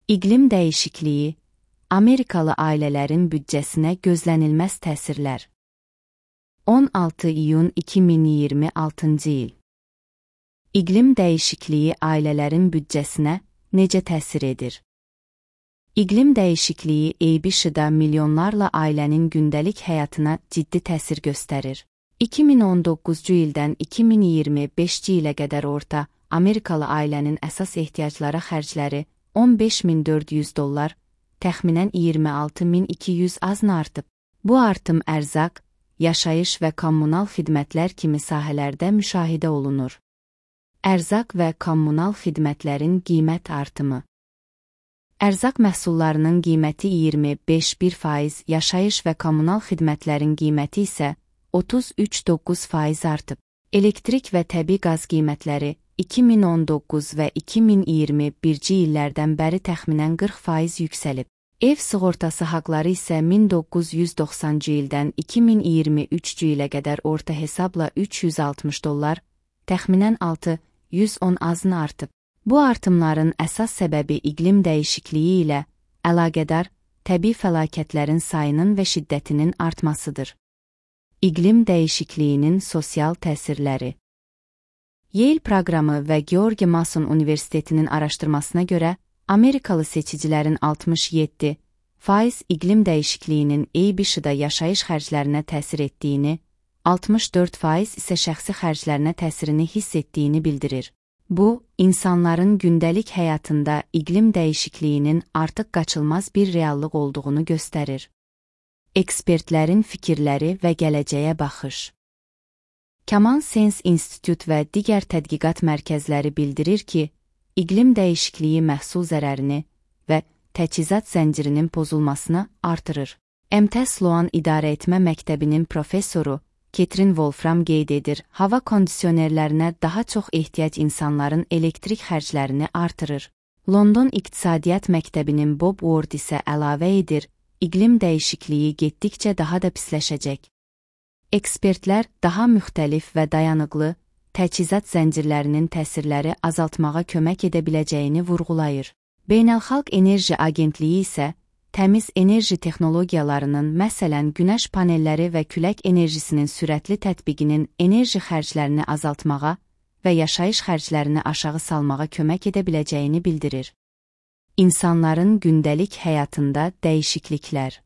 İqlim dəyişikliyi, Amerikalı ailələrin büdcəsinə gözlənilməz təsirlər. 16 iyun 2026-cı il. İqlim dəyişikliyi ailələrin büdcəsinə necə təsir edir? İqlim dəyişikliyi EBŞ-da milyonlarla ailənin gündəlik həyatına ciddi təsir göstərir. 2019-cu ildən 2025-ci ilə qədər orta Amerikalı ailənin əsas ehtiyaclara xərcləri $15.400, təxminən 26.200 azna artıb. Bu artım ərzaq, yaşayış və kommunal xidmətlər kimi sahələrdə müşahidə olunur. Ərzaq və kommunal xidmətlərin qiymət artımı. Ərzaq məhsullarının qiyməti 25%, yaşayış və kommunal xidmətlərin qiyməti isə 33.9% artıb. Elektrik və təbii qaz qiymətləri 2019 və 2021-ci illərdən bəri təxminən 40% yüksəlib. Ev sığortası haqları isə 1990-cı ildən 2023-cü ilə qədər orta hesabla $360, təxminən 610 azna artıb. Bu artımların əsas səbəbi iqlim dəyişikliyi ilə əlaqədar təbii fəlakətlərin sayının və şiddətinin artmasıdır. İqlim dəyişikliyinin sosial təsirləri. Yale proqramı və George Mason Universitetinin araşdırmasına görə, Amerikalı seçicilərin 67% iqlim dəyişikliyinin EBŞ-da yaşayış xərclərinə təsir etdiyini, 64% isə şəxsi xərclərinə təsirini hiss etdiyini bildirir. Bu, insanların gündəlik həyatında iqlim dəyişikliyinin artıq qaçılmaz bir reallıq olduğunu göstərir. Ekspertlərin fikirləri və gələcəyə baxış. Common Sense İnstitut və digər tədqiqat mərkəzləri bildirir ki, iqlim dəyişikliyi məhsul zərərini və təchizat zəncirinin pozulmasını artırır. MT Sloan İdarəetmə Məktəbinin professoru Ketrin Wolfram qeyd edir, hava kondisionerlərinə daha çox ehtiyac insanların elektrik xərclərini artırır. London İqtisadiyyat Məktəbinin Bob Ward isə əlavə edir, iqlim dəyişikliyi getdikcə daha da pisləşəcək. Ekspertlər daha müxtəlif və dayanıqlı təchizat zəncirlərinin təsirləri azaltmağa kömək edə biləcəyini vurğulayır. Beynəlxalq Enerji Agentliyi isə təmiz enerji texnologiyalarının, məsələn, günəş panelləri və külək enerjisinin sürətli tətbiqinin enerji xərclərini azaltmağa və yaşayış xərclərini aşağı salmağa kömək edə biləcəyini bildirir. İnsanların gündəlik həyatında dəyişikliklər.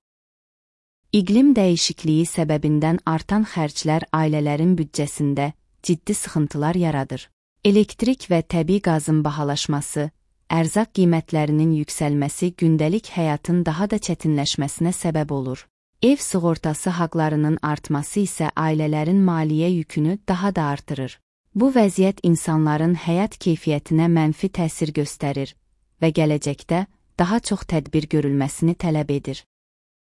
İqlim dəyişikliyi səbəbindən artan xərclər ailələrin büdcəsində ciddi sıxıntılar yaradır. Elektrik və təbii qazın bahalaşması, ərzaq qiymətlərinin yüksəlməsi gündəlik həyatın daha da çətinləşməsinə səbəb olur. Ev sığortası haqlarının artması isə ailələrin maliyyə yükünü daha da artırır. Bu vəziyyət insanların həyat keyfiyyətinə mənfi təsir göstərir və gələcəkdə daha çox tədbir görülməsini tələb edir.